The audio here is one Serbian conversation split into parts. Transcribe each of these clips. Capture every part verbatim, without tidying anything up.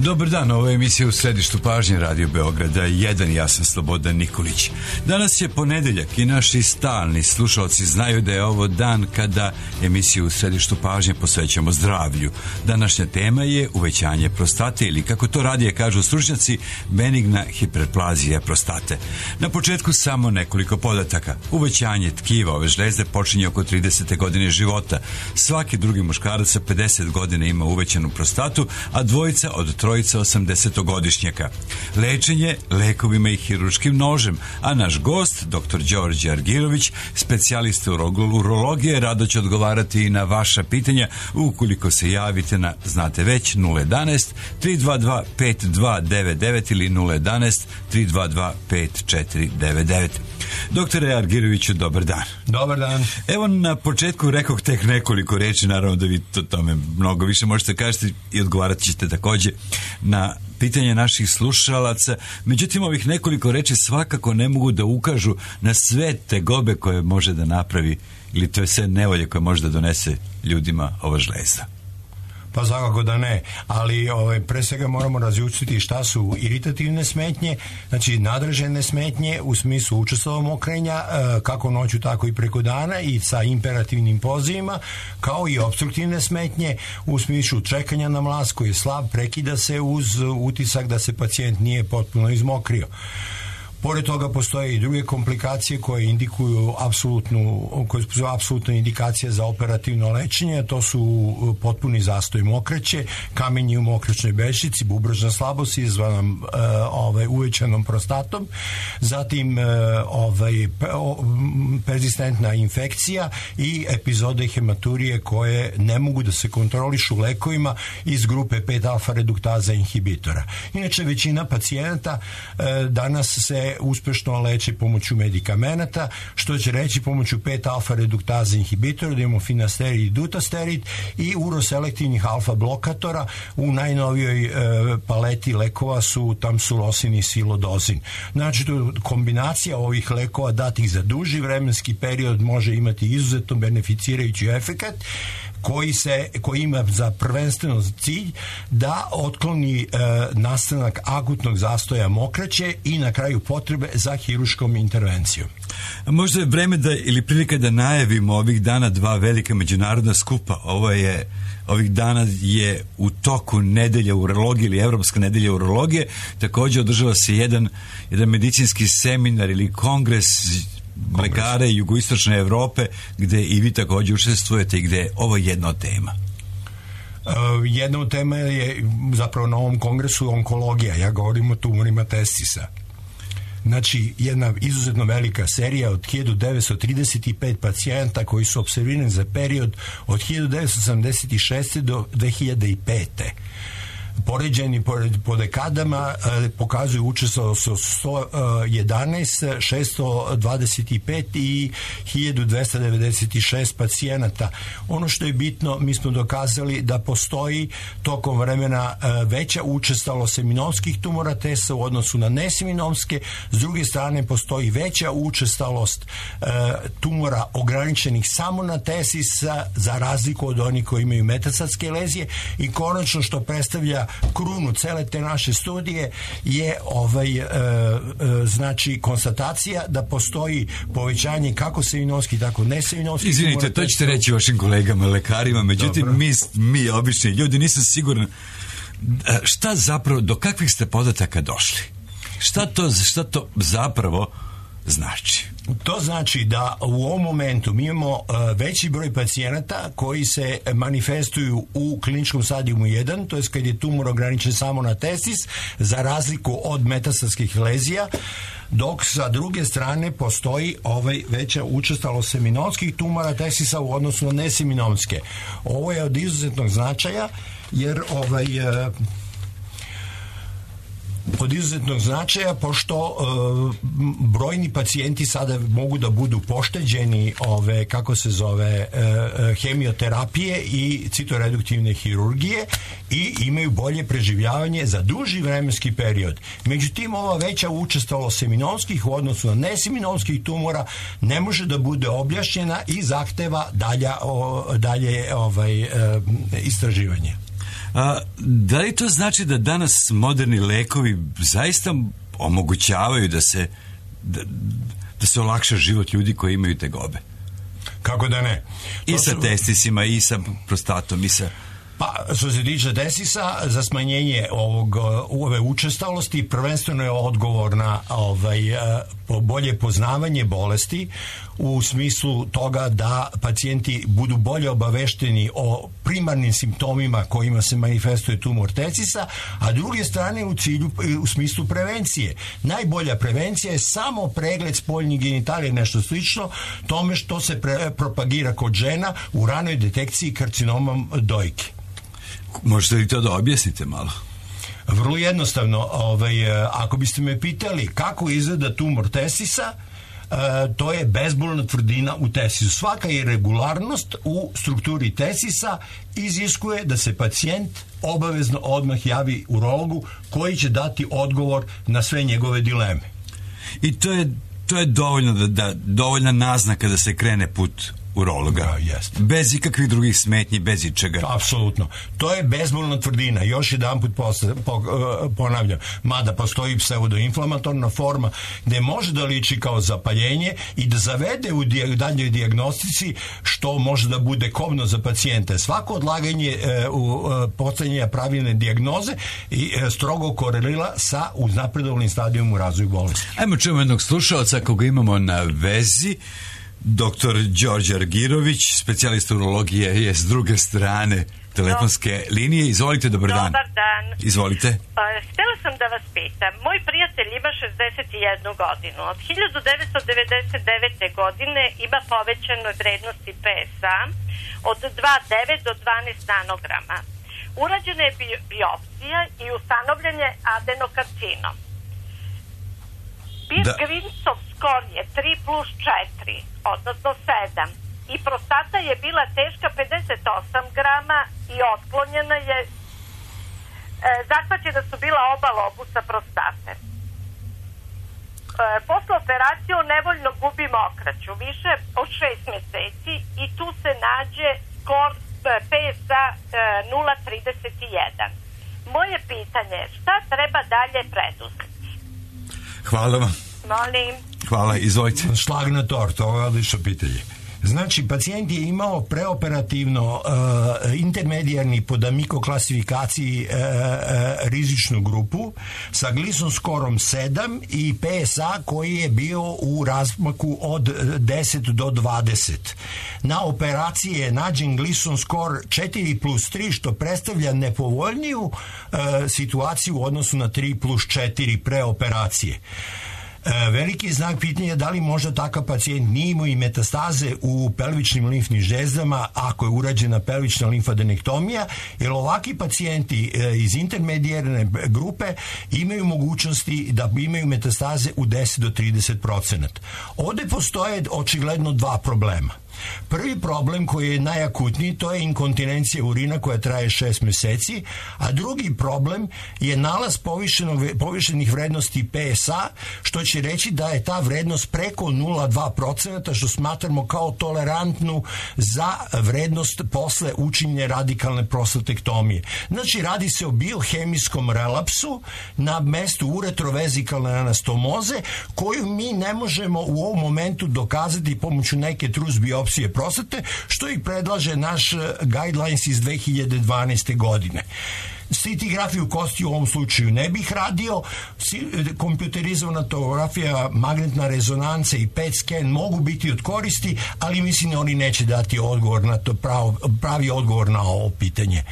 Dobar dan, ovo je emisija U središtu pažnje Radio Beograda jedan, ja sam Slobodan Nikolić. Danas je ponedeljak i naši stalni slušalci znaju da je ovo dan kada emisiju U središtu pažnje posvećamo zdravlju. Današnja tema je uvećanje prostate ili, kako to radije kažu stručnjaci, benigna hiperplazija prostate. Na početku samo nekoliko podataka. Uvećanje tkiva ove žlezde počinje oko tridesete godine života. Svaki drugi muškarac sa pedeset godina ima uvećanu prostatu, a dvojica od trojica osamdesetogodišnjaka. Lečenje lekovima i hiruškim nožem, a naš gost, doktor Đorđe Argirović, specijalista urologije, rado će odgovarati i na vaša pitanja ukoliko se javite na, znate već, nula jedanaest tri dva dva pet dva devet devet ili nula jedanaest tri dva dva pet četiri devet devet. Doktore Argiroviću, dobar dan. Dobar dan. Evo, na početku rekoh tek nekoliko reči, naravno da vi to tome mnogo više možete kažete i odgovarat ćete takođe na pitanje naših slušalaca. Međutim, ovih nekoliko reči svakako ne mogu da ukažu na sve tegobe koje može da napravi ili to je sve nevolje koje može da donese ljudima ova žlezda. Pa svakako da ne, ali ovaj, pre svega moramo razlučiti šta su iritativne smetnje, znači nadređene smetnje u smislu učestvova mokrenja, kako noću tako i preko dana i sa imperativnim pozivima, kao i opstruktivne smetnje u smislu čekanja na mlaz koji je slab, prekida se uz utisak da se pacijent nije potpuno izmokrio. Pored toga postoje i druge komplikacije koje indikuju apsolutnu, koje su apsolutna indikacija za operativno lečenje, to su potpuni zastoj mokraće, kamenje u mokraćnoj bešici, bubrežna slabost izvana uh, ovaj, uvećanom prostatom, zatim uh, ovaj, persistentna infekcija i epizode hematurije koje ne mogu da se kontrolišu lekovima iz grupe pet alfa reduktaza inhibitora. Inače, većina pacijenata uh, danas se uspešno leči pomoću medikamenata, što će reći pomoću pet alfa reduktaza inhibitora, da imamo finasterid i dutasterid i uroselektivnih alfa blokatora. U najnovijoj e, paleti lekova su tamsulosin i silodozin. Znači, kombinacija ovih lekova datih za duži vremenski period može imati izuzetno beneficirajući efekat koji se koji ima za prvenstveno cilj da otkloni e, nastanak akutnog zastoja mokraće i na kraju potrebe za hiruškom intervencijom. Možda je vreme da ili prilika da najavimo ovih dana dva velika međunarodna skupa. Ovo je ovih dana je u toku nedelja urologije ili Evropska nedelja urologije. Takođe održava se jedan jedan medicinski seminar ili kongres lekare jugoistočne Evrope, gde i vi takođe učestvujete i gde je ovo jedna od tema. Uh, jedna od tema je zapravo na ovom kongresu onkologija. Ja govorim o tumorima testisa. Znači, jedna izuzetno velika serija od hiljadu devetsto trideset pet pacijenta koji su opservirani za period od hiljadu devetsto sedamdeset šeste do dve hiljade pete. Poređeni po, po dekadama eh, pokazuju učestvovalo su sto jedanaest, šesto dvadeset pet i hiljadu dvesta devedeset šest pacijenata. Ono što je bitno, mi smo dokazali da postoji tokom vremena eh, veća učestvovalo seminomskih tumora testa u odnosu na neseminomske. S druge strane, postoji veća učestvovalost eh, tumora ograničenih samo na tesis za razliku od onih koji imaju metastatske lezije. I konačno, što predstavlja krunu cele te naše studije, je ovaj e, e, znači konstatacija da postoji povećanje kako seminomski, tako neseminomski. Izvinite, to ćete reći vašim kolegama lekarima, međutim Dobro. mi, mi obični ljudi, nisam siguran šta zapravo, do kakvih ste podataka došli? Šta to, šta to zapravo znači? To znači da u ovom momentu mi imamo uh, veći broj pacijenata koji se manifestuju u kliničkom stadijumu jedan, to je kad je tumor ograničen samo na testis, za razliku od metastatskih lezija, dok sa druge strane postoji ovaj veća učestalost seminomskih tumora testisa u odnosu na neseminomske. Ovo je od izuzetnog značaja jer ovaj uh, od izuzetnog značaja, pošto e, brojni pacijenti sada mogu da budu pošteđeni ove, kako se zove, e, hemioterapije i citoreduktivne hirurgije i imaju bolje preživljavanje za duži vremenski period. Međutim, ova veća učestalost seminomskih u odnosu na neseminomskih tumora ne može da bude objašnjena i zahteva dalja, o, dalje ovaj, e, istraživanje. A, da li to znači da danas moderni lekovi zaista omogućavaju da se da, da se olakša život ljudi koji imaju tegobe? Kako da ne? I To sa su... testisima, i sa prostatom, i sa... Pa, što se tiče testisa, za smanjenje ovog, ove učestalosti prvenstveno je odgovor na ovaj, bolje poznavanje bolesti u smislu toga da pacijenti budu bolje obavešteni o primarnim simptomima kojima se manifestuje tumor testisa, a druge strane u cilju, u smislu prevencije. Najbolja prevencija je samo pregled spoljnih genitalija, nešto slično tome što se pre, propagira kod žena u ranoj detekciji karcinomom dojke. Možete li to da objasnite malo? Vrlo jednostavno, ovaj, ako biste me pitali kako izgleda tumor testisa, to je bezbolna tvrdina u testisu. Svaka irregularnost u strukturi testisa iziskuje da se pacijent obavezno odmah javi urologu koji će dati odgovor na sve njegove dileme. I to je, to je dovoljno da, da, dovoljna naznaka da se krene put urologa. Da, jest. Bez ikakvih drugih smetnji, bez ičega. Apsolutno. To je bezbolna tvrdina. Još jedan put posle, po, uh, ponavljam, mada postoji pseudoinflamatorna forma gde može da liči kao zapaljenje i da zavede u di, daljoj dijagnostici što može da bude kobno za pacijente. Svako odlaganje uh, u uh, postavljanja pravilne dijagnoze i uh, strogo korelira sa uznapredovalnim stadijom u razvoju bolesti. Ajmo čujemo jednog slušalca koga imamo na vezi. Doktor Đorđe Argirović, specijalista urologije, je s druge strane telefonske no. linije. Izvolite, dobar dan. Dobar dan. Izvolite. Pa, htjela sam da vas pitam. Moj prijatelj ima šezdeset jednu godinu. Od hiljadu devetsto devedeset devete. godine ima povećane vrednosti P S A od dva zarez devet do dvanaest nanograma. Urađena je bi- biopsija i ustanovljen je adenokarcinom. Birgvinsov skor je tri plus četiri, odnosno sedam. I prostata je bila teška pedeset osam grama i otklonjena je, e, zahvaćena su bila oba lobusa prostate. E, posle operacije nevoljno gubi mokraću, više od šest mjeseci i tu se nađe skor P S A e, nula zarez trideset jedan. Moje pitanje je šta treba dalje preduzeti? Hvala vam. Molim. Hvala, izvolite. Šlag na tort, ovo je odlično pitanje. Znači, pacijent je imao preoperativno uh, intermedijarni po D'Amico klasifikaciji uh, uh, rizičnu grupu sa Gleason skorom sedam i P S A koji je bio u razmaku od deset do dvadeset. Na operaciji je nađen Gleason skor četiri plus tri, što predstavlja nepovoljniju uh, situaciju u odnosu na tri plus četiri preoperacije. Veliki znak pitanja je da li možda takav pacijent nije imao i metastaze u pelvičnim limfnim žezdama ako je urađena pelvična limfadenektomija, jer ovakvi pacijenti iz intermedijarne grupe imaju mogućnosti da imaju metastaze u deset do trideset procenata. Ovde postoje očigledno dva problema. Prvi problem koji je najakutniji, to je inkontinencija urina koja traje šest meseci, a drugi problem je nalaz povišenih vrednosti P S A, što će reći da je ta vrednost preko nula zarez dva procenta, što smatramo kao tolerantnu za vrednost posle učinjene radikalne prostatektomije. Znači, radi se o biohemijskom relapsu na mestu uretrovezikalne anastomoze, koju mi ne možemo u ovom momentu dokazati pomoću neke trus biopsije prostate, što i predlaže naš guidelines iz dve hiljade dvanaeste. godine. Scintigrafiju kosti u ovom slučaju ne bih radio, kompjuterizovana tomografija, magnetna rezonanca i P E T scan mogu biti od koristi, ali mislim da oni neće dati odgovor na to, prav, pravi odgovor na ovo pitanje.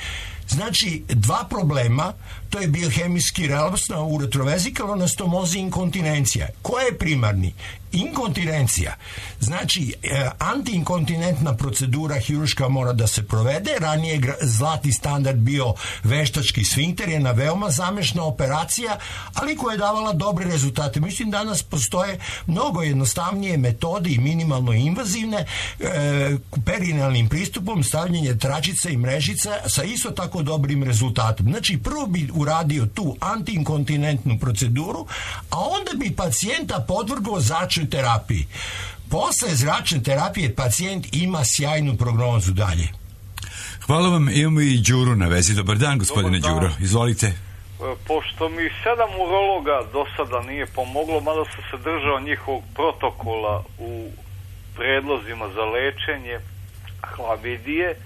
Znači, dva problema, to je biohemijski relaps na uretrovezikalnoj anastomozi i inkontinencija. Ko je primarni? Inkontinencija. Znači, e, antiinkontinentna procedura hiruška mora da se provede. Ranije zlatni standard bio veštački sfinkter, jedna veoma zamešna operacija, ali koja je davala dobre rezultate. Mislim, danas postoje mnogo jednostavnije metode i minimalno invazivne, e, perinealnim pristupom, stavljanje tračica i mrežica sa isto tako dobrim rezultatom. Znači, prvo bi uradio tu antiinkontinentnu proceduru, a onda bi pacijenta podvrgao zračnoj terapiji. Posle zračne terapije pacijent ima sjajnu prognozu dalje. Hvala vam, imamo i Đuru na vezi. Dobar dan, gospodine Dobar dan. Đuro, izvolite. Pošto mi sedam urologa do sada nije pomoglo, mada sam se držao njihovog protokola u predlozima za lečenje hlamidije,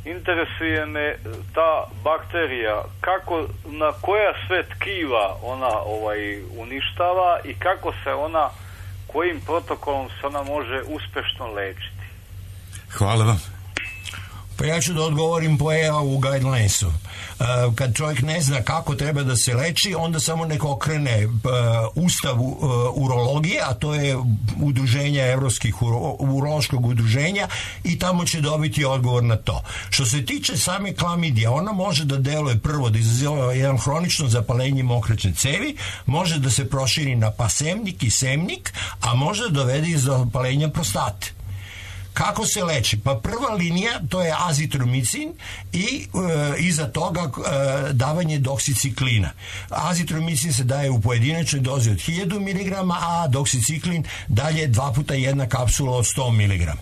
interesuje me ta bakterija, kako, na koja sve tkiva ona ovaj, uništava i kako se ona, kojim protokolom se ona može uspešno lečiti. Hvala vam. Pa ja ću da odgovorim po E A u guidelinesu. Uh, kad čovjek ne zna kako treba da se leči, onda samo neko okrene uh, ustav uh, urologije, a to je udruženja evropskih uro, urološkog udruženja, i tamo će dobiti odgovor na to. Što se tiče same klamidije, ona može da deluje prvo da izaziva jedan hronično zapalenje mokraćne cevi, može da se proširi na pasemnik i semnik, a može da dovede i zapalenja prostate. Kako se leči? Pa prva linija, to je azitromicin i e, iza toga e, davanje doksiciklina. Azitromicin se daje u pojedinačnoj dozi od hiljadu miligrama, a doksiciklin dalje dva puta jedna kapsula od sto miligrama.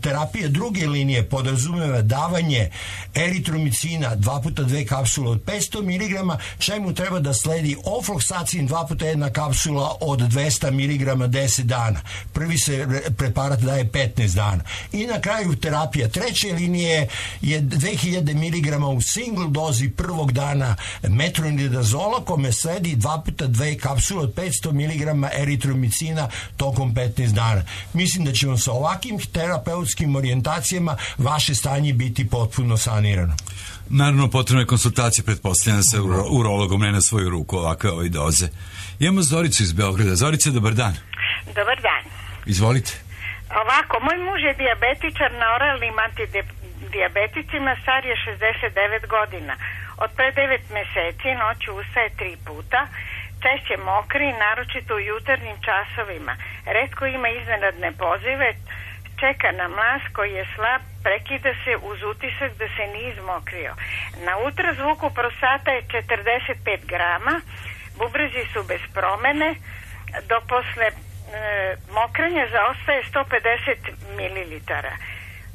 Terapija druge linije podrazumeva davanje eritromicina dva puta dve kapsule od petsto miligrama, čemu treba da sledi ofloksacin dva puta jedna kapsula od dvesta miligrama deset dana. Prvi se preparat daje petnaest dana. I na kraju terapija treće linije je dve hiljade miligrama u single dozi prvog dana metronidazola, kome sledi dva puta dve kapsule od petsto miligrama eritromicina tokom petnaest dana. Mislim da ćemo sa ovakvim terapeutskim orijentacijama vaše stanje biti potpuno sanirano. Naravno, potrebna je konsultacija, pretpostavljena sa uro, urologom, ne na svoju ruku ovakve ove doze. Imamo Zoricu iz Beograda. Zorica, dobar dan. Dobar dan. Izvolite. Ovako, moj muž je dijabetičar na oralnim antidijabeticima, star je šezdeset devet godina. Od pre devet meseci noću ustaje tri puta, češće mokri, naročito u jutarnjim časovima. Retko ima iznenadne pozive, čeka na mlaz koji je slab, prekida se uz utisak da se nije izmokrio. Na ultrazvuku prostata je četrdeset pet grama, bubrezi su bez promene, dok posle e, mokrenja zaostaje sto pedeset mililitara.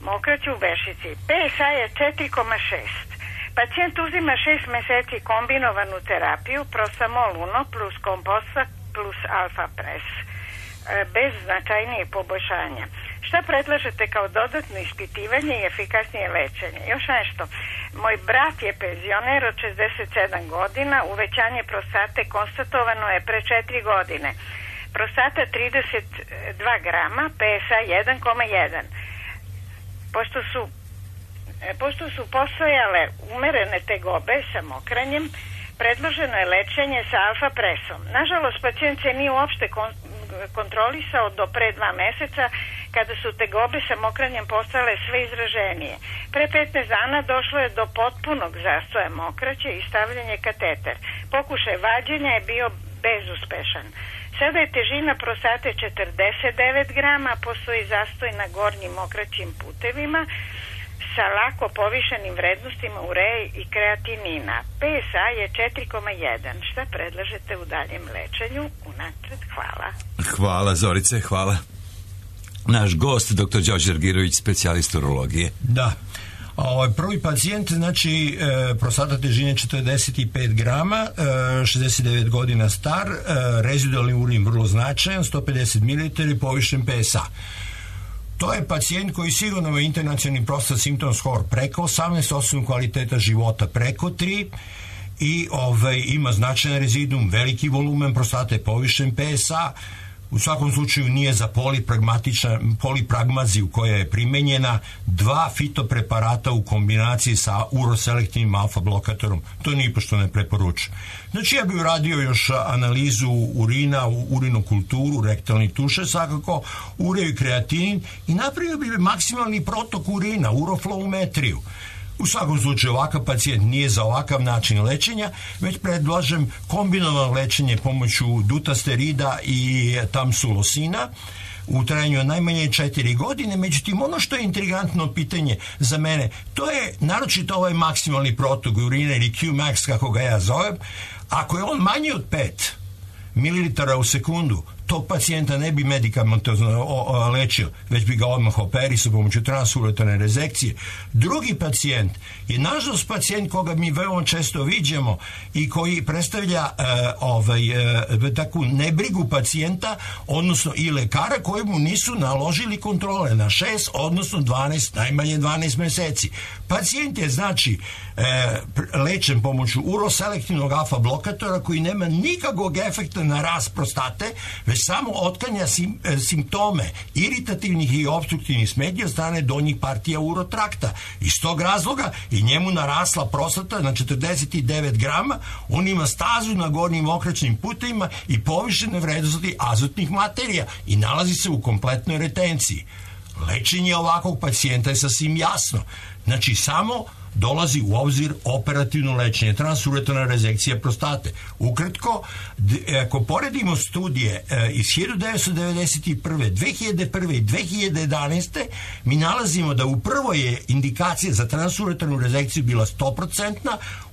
Mokrać u vešici. P S A je četiri zarez šest. Pacijent uzima šest meseci kombinovanu terapiju, Prostamol Uno plus Komposta plus Alfa Pres, bez značajnijeg poboljšanja. Šta predlažete kao dodatno ispitivanje i efikasnije lečenje? Još nešto. Moj brat je penzioner od šezdeset sedam godina, uvećanje prostate konstatovano je pre četiri godine. Prostata trideset dva grama, P S A jedan zarez jedan. Pošto su Pošto su postojale umerene tegobe sa mokranjem, predloženo je lečenje sa alfa presom. Nažalost, pacijent se nije uopšte kon- kontrolisao do pre dva meseca, kada su tegobe sa mokranjem postale sve izraženije. Pre petnaest dana došlo je do potpunog zastoja mokraće i stavljanje kateter. Pokušaj vađenja je bio bezuspešan. Sada je težina prostate četrdeset devet grama, postoji zastoj na gornjim mokraćim putevima sa lako povišenim vrednostima ureje i kreatinina. P S A je četiri zarez jedan. Šta predlažete u daljem lečenju? Unapred, hvala. Hvala, Zorice, hvala. Naš gost, doktor Đorđe Argirović, specijalist urologije. Da. Ovaj prvi pacijent, znači e, prostata težine četrdeset pet grama, e, šezdeset devet godina star, e, rezidualni urin vrlo značajan, sto pedeset mililitara i povišen P S A. To je pacijent koji sigurno ima internacionalni prostat symptom score preko osamnaest, osam kvaliteta života preko tri i ovaj, ima značajan rezidum, veliki volumen prostate, povišen P S A. U svakom slučaju nije za polipragmaziju koja je primenjena, dva fitopreparata u kombinaciji sa uroselektivnim alfa blokatorom. To nipošto ne preporučujem. Znači ja bih uradio još analizu urina, urinokulturu, rektalni tuše, svakako ureo i kreatinin i napravio bih maksimalni protok urina, urofloumetriju. U svakom slučaju ovakav pacijent nije za ovakav način lečenja, već predlažem kombinovano lečenje pomoću dutasterida i tamsulosina u trajanju od najmanje četiri godine. Međutim, ono što je intrigantno pitanje za mene, to je naročito ovaj maksimalni protok urina ili Q max, kako ga ja zovem. Ako je on manji od pet mililitara u sekundu, tog pacijenta ne bi medikamentozno lečio, već bi ga odmah operisao pomoću transuretarne rezekcije. Drugi pacijent je nažalost pacijent koga mi veoma često viđamo i koji predstavlja e, ovaj, e, takvu nebrigu pacijenta, odnosno i lekara koji mu nisu naložili kontrole na šest, odnosno dvanaest, najmanje dvanaest meseci. Pacijent je znači e, lečen pomoću uroselektivnog alfa blokatora koji nema nikakvog efekta na rast prostate, već samo otklanja sim, e, simptome iritativnih i obstruktivnih smetnji od strane donjih partija urotrakta. Iz tog razloga i njemu narasla prostata na četrdeset devet grama, on ima stazu na gornjim okraćnim putevima i povišene vrednosti azotnih materija i nalazi se u kompletnoj retenciji. Lečenje ovakvog pacijenta je sasvim jasno. Znači, samo dolazi u obzir operativno lečenje, transuretarna rezekcija prostate. Ukratko, ako poredimo studije iz hiljadu devetsto devedeset prve, dve hiljade prve i dve hiljade jedanaeste. mi nalazimo da u prvoj je indikacija za transuretarnu rezekciju bila sto posto,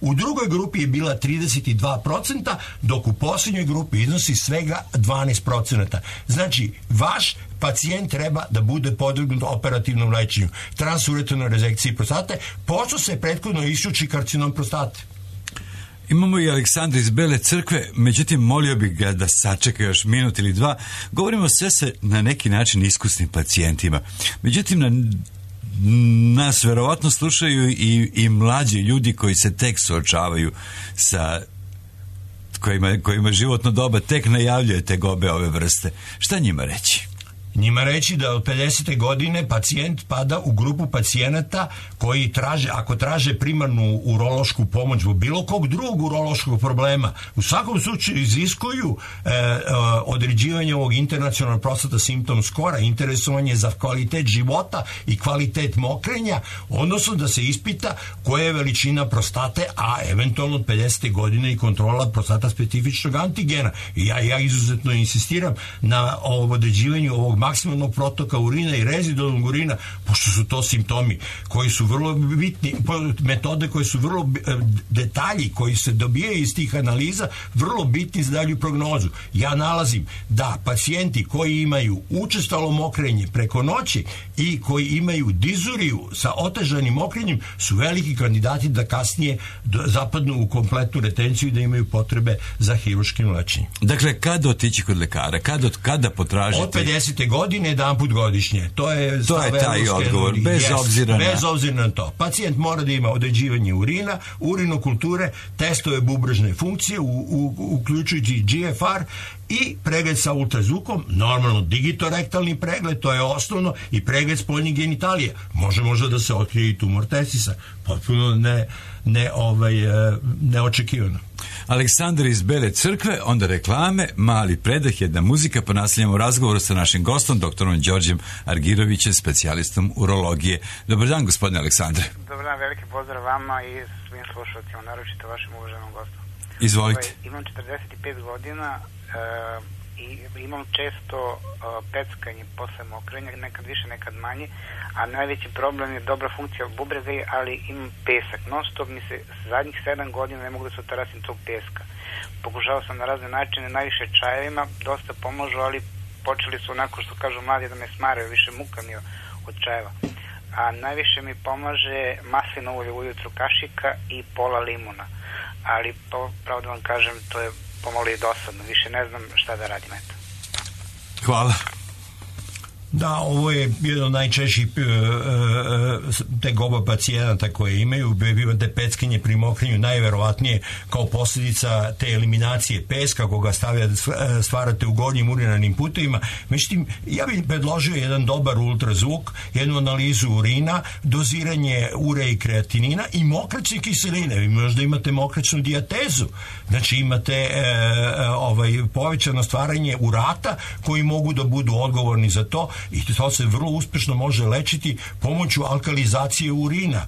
u drugoj grupi je bila trideset dva posto, dok u posljednjoj grupi iznosi svega dvanaest posto. Znači, vaš pacijent treba da bude podvrgnut operativnom lečenju, transuretarnoj rezekciji prostate, pošto se prethodno isključi karcinom prostate. Imamo i Aleksandra iz Bele Crkve, međutim molio bih ga da sačeka još minut ili dva. Govorimo sve se na neki način iskusnim pacijentima. Međutim, na, nas verovatno slušaju i, i mlađi ljudi koji se tek suočavaju sa kojima, kojima životno doba tek najavljuje tegobe ove vrste. Šta njima reći? Njima reći da od pedesete godine pacijent pada u grupu pacijenata koji traže, ako traže primarnu urološku pomoć u bilo kog drugog urološkog problema, u svakom slučaju iziskuju e, e, određivanje ovog internacionalnog prostata symptom skora, interesovanje za kvalitet života i kvalitet mokrenja, odnosno da se ispita koja je veličina prostate, a eventualno od pedesete godine i kontrola prostata specifičnog antigena. I ja, ja izuzetno insistiram na određivanju ovog maksimalnog protoka urina i rezidualnog urina, pošto su to simptomi koji su vrlo bitni, metode koje su vrlo detalji koji se dobijaju iz tih analiza, vrlo bitni za dalju prognozu. Ja nalazim da pacijenti koji imaju učestalo mokrenje preko noći i koji imaju dizuriju sa otežanim mokrenjem su veliki kandidati da kasnije zapadnu u kompletnu retenciju i da imaju potrebe za hiruškim lečenjem. Dakle, kada otići kod lekara? Kada, kada potražiti? Od pedesete godine jedan put godišnje. To je, to je taj odgovor, bez yes, obzira na... Bez obzira na to. Pacijent mora da ima određivanje urina, urinokulture, testove bubrežne funkcije, u, u, uključujući G F R i pregled sa ultrazvukom, normalno digitorektalni pregled, to je osnovno, i pregled spoljnih genitalija. Može možda da se otkrije i tumor testisa. Potpuno ne, ne, ovaj, neočekivano. Aleksandar iz Bele Crkve, onda reklame, mali predah, jedna muzika, pa nastavljamo razgovor sa našim gostom, doktorom Đorđem Argirovićem, specijalistom urologije. Dobar dan, gospodine Aleksandre. Dobar dan, veliki pozdrav vama i svim slušalcima, naročito vašem uvaženom gostu. Izvolite. Ovaj, imam četrdeset pet godina e, i imam često e, peckanje posle mokrenja, nekad više, nekad manje, a najveći problem je dobra funkcija bubrega, ali imam pesak. Non stop mi se zadnjih sedam godina ne mogu da se otarasim tog peska. Pokušao sam na razne načine, najviše čajevima, dosta pomožu, ali počeli su onako što kažu mladi da me smaraju, više muka mi od čajeva. A najviše mi pomaže maslinovo ulje ujutru, kašika i pola limuna. Ali, pravo da vam kažem, to je pomalo i dosadno. Više ne znam šta da radim, eto. Hvala. Da, ovo je jedan od najčešćih e, e, tegoba pacijenata koje imaju, te peckanje pri mokrenju najverovatnije kao posljedica te eliminacije peska koga stavlja, stvarate u gornjim urinarnim putevima. Međutim, ja bih predložio jedan dobar ultrazvuk, jednu analizu urina, doziranje ure i kreatinina i mokraćne kiseline. Vi možda imate mokraćnu dijatezu, znači imate e, ovaj, povećano stvaranje urata koji mogu da budu odgovorni za to, i to se vrlo uspešno može lečiti pomoću alkalizacije urina.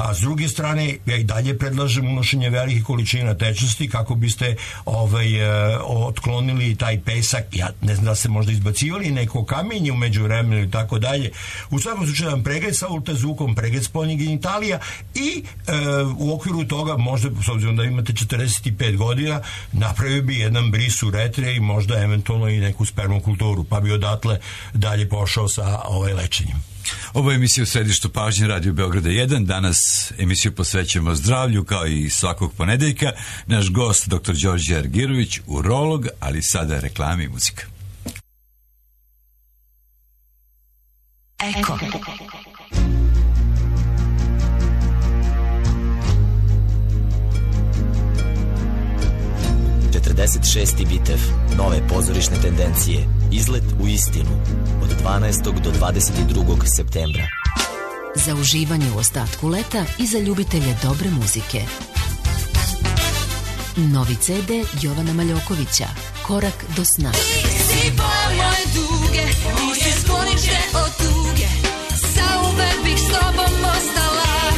a s druge strane ja i dalje predlažem unošenje velikih količina tečnosti kako biste ovaj, otklonili taj pesak. Ja ne znam da ste možda izbacivali neko kamenje u međuvremenu i tako dalje. U svakom slučaju jedan pregled sa ultrazvukom, pregled spoljnih genitalija i e, u okviru toga možda, s obzirom da imate četrdeset pet godina, napravio bi jedan bris uretre i možda eventualno i neku spermokulturu, pa bi odatle dalje pošao sa ovaj lečenjem. Ovo je emisija u središtu pažnje Radio Beograda jedan. Danas emisiju posvećujemo zdravlju kao i svakog ponedeljka. Naš gost doktor Đorđe Argirović, urolog, ali sada reklama i muzika. Eko. četrdeset šesti bitev, nove pozorišne tendencije, izlet u istinu, od dvanaestog do dvadeset drugog septembra. Za uživanje u ostatku leta i za ljubitelje dobre muzike. Novi ce de Jovana Maljokovića, Korak do sna. Ti si boja moje duge, ti si sklonište od tuge, zauvek bih s tobom ostala.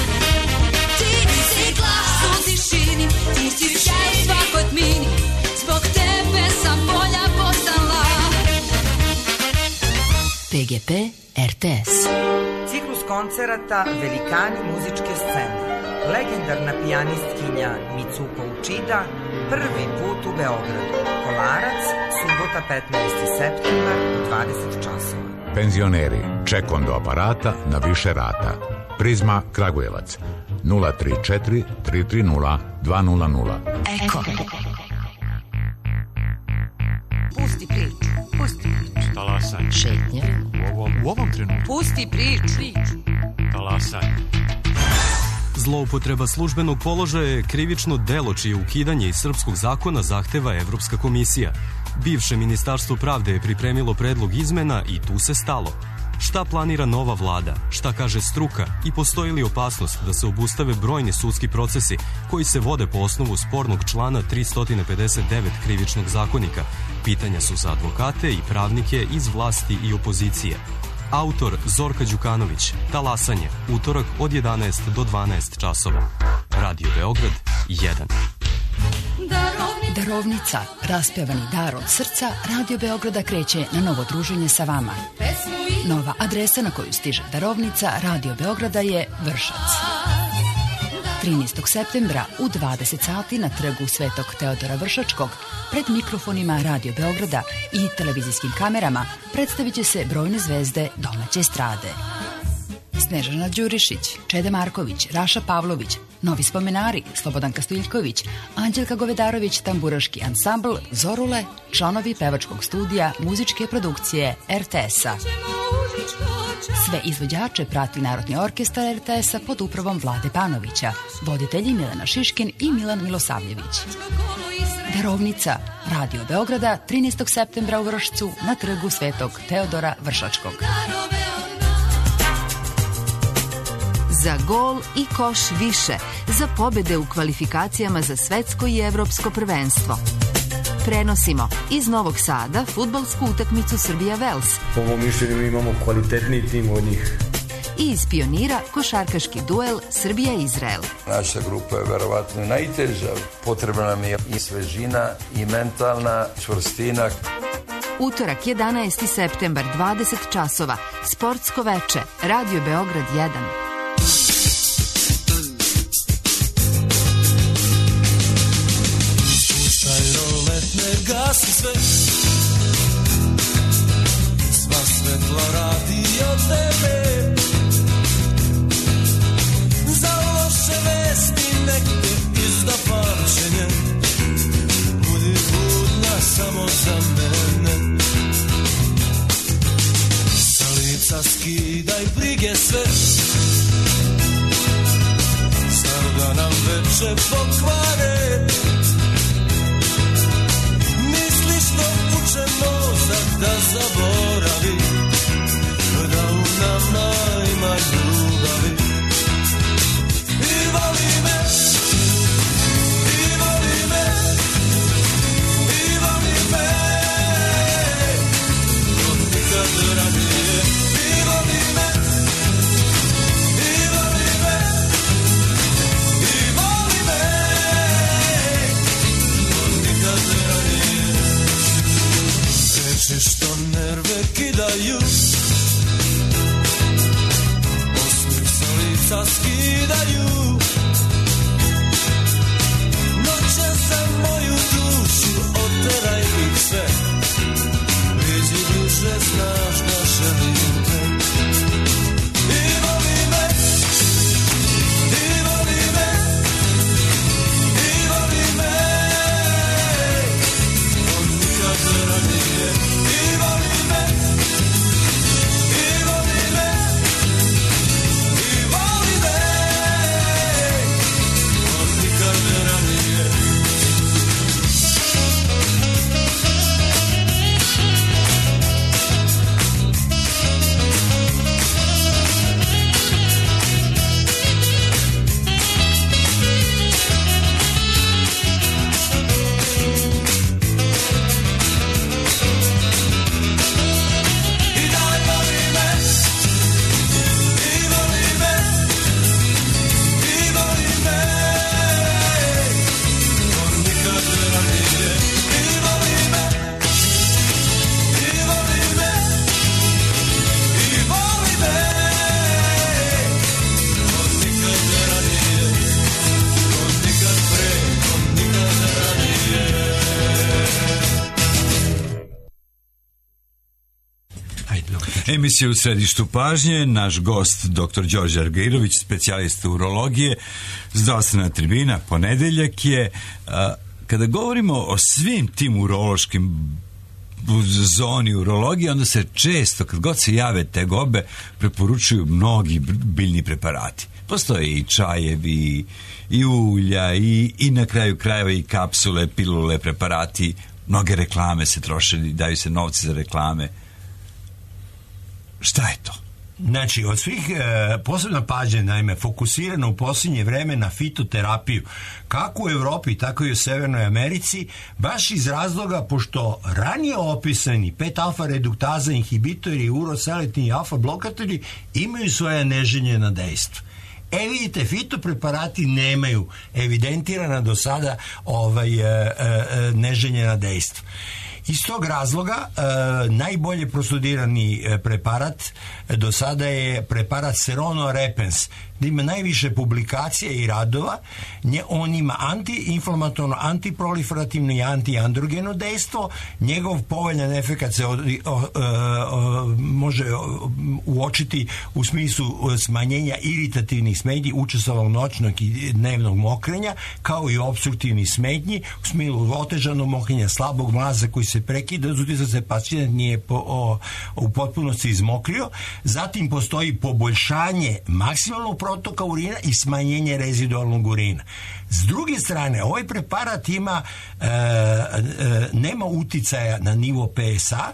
Ti si glas u tišini, ti si šaj u svakoj tmini, zbog tebe sam bolja postala. pe ge pe er te es. Ciklus koncerata Velikani muzičke scene. Legendarna pijanistkinja Mitsuko Uchida prvi put u Beogradu. Kolarac, subota petnaesti septembar u dvadeset časova. Penzioneri, ček do aparata na više rata. Prizma Kragujevac nula tri četiri tri tri nula dva nula nula. Eko. Pusti priču, pusti priču. Talasanje. Šetnja. U ovom, u ovom trenutku. Pusti priču. Talasanje. Zloupotreba službenog položaja je krivično delo čije ukidanje iz srpskog zakona zahteva Evropska komisija. Bivše Ministarstvo pravde je pripremilo predlog izmena i tu se stalo. Šta planira nova vlada? Šta kaže struka? I postoji li opasnost da se obustave brojni sudski procesi koji se vode po osnovu spornog člana tristo pedeset devet krivičnog zakonika? Pitanja su za advokate i pravnike iz vlasti i opozicije. Autor Zorka Đukanović, Talasanje, utorak od jedanaest do dvanaest časova. Radio Beograd jedan. Darovnica, raspevani dar od srca, Radio Beograda kreće na novo druženje sa vama. Nova adresa na koju stiže darovnica Radio Beograda je Vršac. trinaestog septembra u dvadeset sati na trgu Svetog Teodora Vršačkog pred mikrofonima Radio Beograda i televizijskim kamerama predstavit će se brojne zvezde domaće estrade. Snežana Đurišić, Čede Marković, Raša Pavlović, novi spomenari Slobodan Kastiljković, Anđelka Govedarović, tamburaški ansambl Zorule, članovi pevačkog studija muzičke produkcije er te es-a. Sve izvođače prati Narodni orkestar er te es-a pod upravom Vlade Panovića, voditelji Milena Šiškin i Milan Milosavljević. Darovnica Radio Beograda trinaestog septembra u Vršcu na trgu Svetog Teodora Vršačkog. Za gol i koš više, za pobede u kvalifikacijama za svetsko i evropsko prvenstvo. Prenosimo iz Novog Sada fudbalsku utakmicu Srbija-Vels. Po mom mišljenju imamo kvalitetniji tim od njih. I iz Pionira košarkaški duel Srbija-Izrael. Naša grupa je verovatno najteža. Potrebna nam je i svežina i mentalna čvrstina. Utorak jedanaesti septembar, dvadeset časova. Sportsko veče. Radio Beograd jedan. Gasi sve, sva svetla radi od tebe, za loše vesti neke izda pamćenje, budi budna samo za mene. Sa lica skidaj brige sve, zar da nam veče pokvare, uče mozak da zaboravi, da u nama ima ljubavi. I voli me, i voli me, i voli me, od nikad ranije. I voli me, i voli me, Emisija u središtu pažnje, naš gost doktor Đorđe Argirović, specijalista urologije, zdravstvena tribina, ponedeljak je. A, kada govorimo o svim tim urološkim u zoni urologije, onda se često, kad god se jave tegobe, preporučuju mnogi biljni preparati. Postoje i čajevi, i ulja, i, i na kraju krajeva i kapsule, pilule, preparati, mnoge reklame se troše, daju se novci za reklame. Šta je to? Znači, od svih e, posebna pažnja, naime, fokusirana u posljednje vreme na fitoterapiju, kako u Evropi, tako i u Severnoj Americi, baš iz razloga pošto ranije opisani pet alfa reduktaza inhibitori, uroseletin i alfa blokatori imaju svoje neželjena dejstva. E vidite, fitopreparati nemaju evidentirana do sada ovaj, e, e, neželjena dejstva. Iz tog razloga e, najbolje prostudirani e, preparat e, do sada je preparat Serono repens, da ima najviše publikacija i radova. Nje, on ima antiinflamatorno, antiproliferativno i antiandrogeno dejstvo. Njegov povoljan efekat se o, o, o, o, može uočiti u smislu smanjenja iritativnih smetnji, učestvovnog noćnog i dnevnog mokrenja, kao i opstruktivnih smetnji u smislu otežanog mokrenja, slabog mlaza koji se prekida, zato se pacijent nije po, o, u potpunosti izmokrio. Zatim postoji poboljšanje maksimalnog protoka urina i smanjenje rezidualnog urina. S druge strane, ovaj preparat ima e, e, nema uticaja na nivo P S A,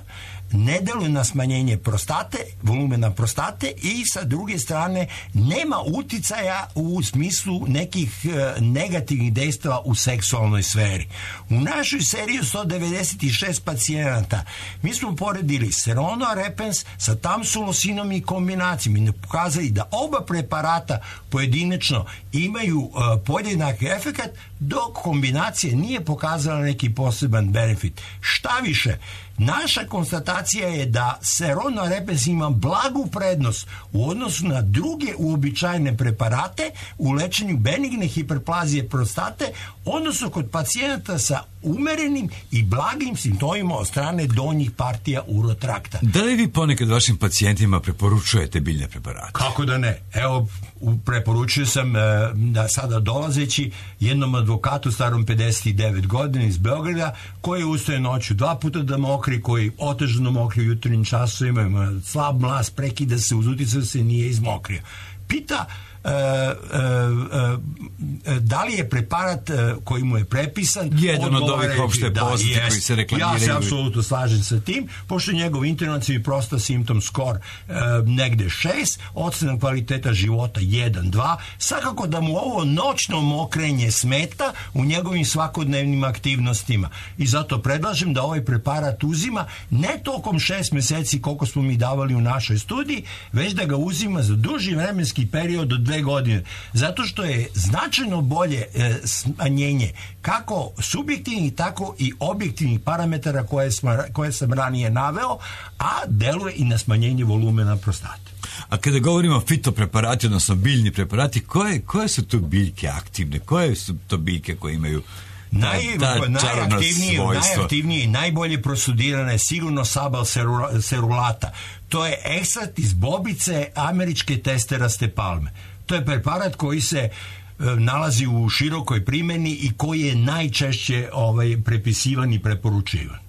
ne deluje na smanjenje prostate, volumena prostate, i sa druge strane nema uticaja u smislu nekih e, negativnih dejstava u seksualnoj sferi. U našoj seriji sto devedeset šest pacijenata mi smo poredili Serono repens sa tamsulosinom i kombinacijom i ne pokazali da oba preparata pojedinačno imaju e, podjednak efekat, dok kombinacija nije pokazala neki poseban benefit. Šta više, naša konstatacija je da Serono repens ima blagu prednost u odnosu na druge uobičajene preparate u lečenju benigne hiperplazije prostate, odnosno kod pacijenata sa umerenim i blagim simptomima od strane donjih partija urotrakta. Da li vi ponekad vašim pacijentima preporučujete biljne preparate? Kako da ne? Evo, preporučio sam e, da sada dolazeći jednom advokatu starom pedeset devet godina iz Beograda, koji ustaje noću dva puta da mokri, koji otežano mokri u jutarnjim časovima, ima slab mlaz, prekida se, uz uticaj se nije izmokrio. Pita E, e, e, da li je preparat e, koji mu je prepisan jedan od ovih opšte poznati da, koji se reklamiraju. Ja se apsolutno slažem sa tim, pošto njegov internacionalni prosta symptom score e, negde šest, ocena kvaliteta života jedan dva, svakako da mu ovo noćno mokrenje smeta u njegovim svakodnevnim aktivnostima, i zato predlažem da ovaj preparat uzima ne tokom šest meseci koliko smo mi davali u našoj studiji, već da ga uzima za duži vremenski period od dve godine, zato što je značajno bolje e, smanjenje kako subjektivnih, tako i objektivnih parametara koje, smo, koje sam ranije naveo, a deluje i na smanjenje volumena prostate. A kada govorimo o fitopreparati, odnosno biljni preparati, koje, koje su to biljke aktivne? Koje su to biljke koje imaju Naj, najaktivnije, najaktivnije i najbolje prostudirane je sigurno sabal cerulata. To je ekstrakt iz bobice američke testeraste palme. To je preparat koji se e, nalazi u širokoj primjeni i koji je najčešće ovaj, prepisivan i preporučivan.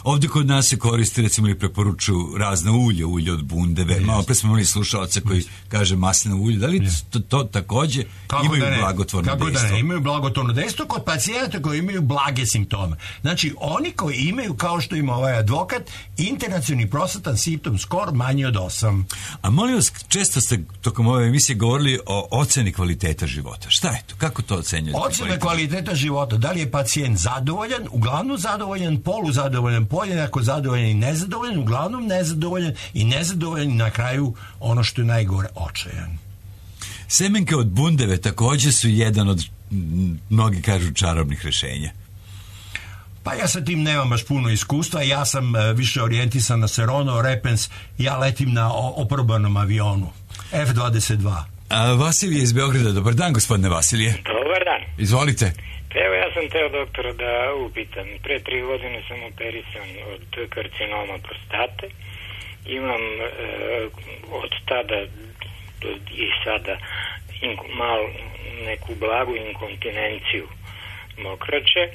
Ovdje kod nas se koristi, recimo, i preporučuju razne ulje, ulje od bundeve. Yes. Malo pre smo imali slušalca koji yes. kaže maslinovo ulje. Da li yes. to, to takođe Kako imaju da blagotvorno Kako dejstvo? Da ne, imaju blagotvorno dejstvo kod pacijenata koji imaju blage simptome. Znači, oni koji imaju, kao što ima ovaj advokat, internacionalni prostatan symptom score manji od osam. A molim vas, često ste tokom ove emisije govorili o oceni kvaliteta života. Šta je to? Kako to ocenjujete? Ocena kvaliteta života. Da li je pacijent zadovoljan, uglavnom zadovoljan, poluzadovoljan, podjednako zadovoljan i nezadovoljan, uglavnom nezadovoljan i nezadovoljan i na kraju ono što je najgore, očajan. Semenke od bundeve također su jedan od, mnogi kažu, čarobnih rešenja. Pa ja sa tim nemam baš puno iskustva, ja sam uh, više orijentisan na Serono repens, ja letim na oprobanom avionu F dvadeset dva. A, Vasilije iz Beograda, dobar dan, gospodine Vasilije. Dobar dan. Izvolite. Evo, ja sam teo doktora da upitam. Pre tri godine sam operisan od karcinoma prostate imam e, od tada do i sada ink, mal neku blagu inkontinenciju mokraće e,